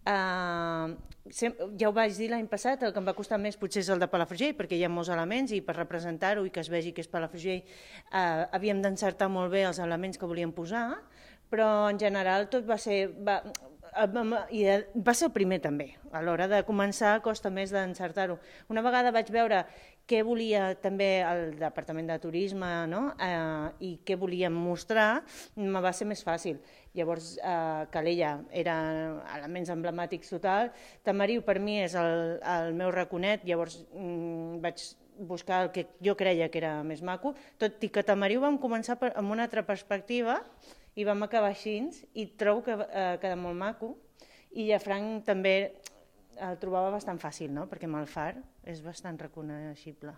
Ja ho vaig dir l'any passat, el que em va costar més potser és el de Palafrugell, perquè hi ha molts elements i per representar-ho i que es vegi que és Palafrugell havíem d'encertar molt bé els elements que volíem posar, però en general tot va ser... I va ser el primer també, a l'hora de començar costa més d'encertar-ho. Una vegada vaig veure què volia també el Departament de Turisme, no? I què volíem mostrar, me va ser més fàcil. Llavors, Calella era elements emblemàtics total, Tamariu per mi és el meu raconet, llavors vaig buscar el que jo creia que era més maco, tot i que Tamariu vam començar amb una altra perspectiva i vam acabar així, i trobo que queda molt maco, i Llafranc també el trobava bastant fàcil, no? Perquè amb el far és bastant reconeixible.